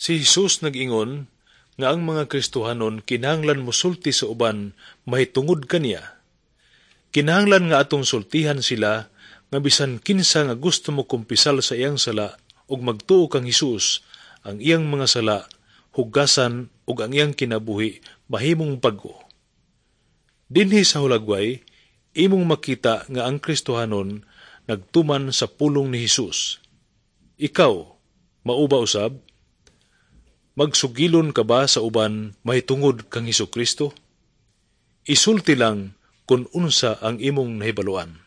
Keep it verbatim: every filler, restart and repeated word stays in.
Si Jesus nag-ingon nga ang mga Kristohanon kinahanglan mosulti sa uban mahitungod kaniya. Kinahanglan nga atong sultihan sila nga bisan kinsa nga gusto mo kumpisal sa iyang sala ug magtuo kang Hesus, ang iyang mga sala hugasan ug ang iyang kinabuhi mahimong bag-o. Dinhi sa hulagway, imong makita nga ang Kristohanon nagtuman sa pulong ni Hesus. Ikaw, mao ba usab? Magsugilon ka ba sa uban mahitungod kang Hesukristo? Isulti lang kung unsa ang imong nahibaluan.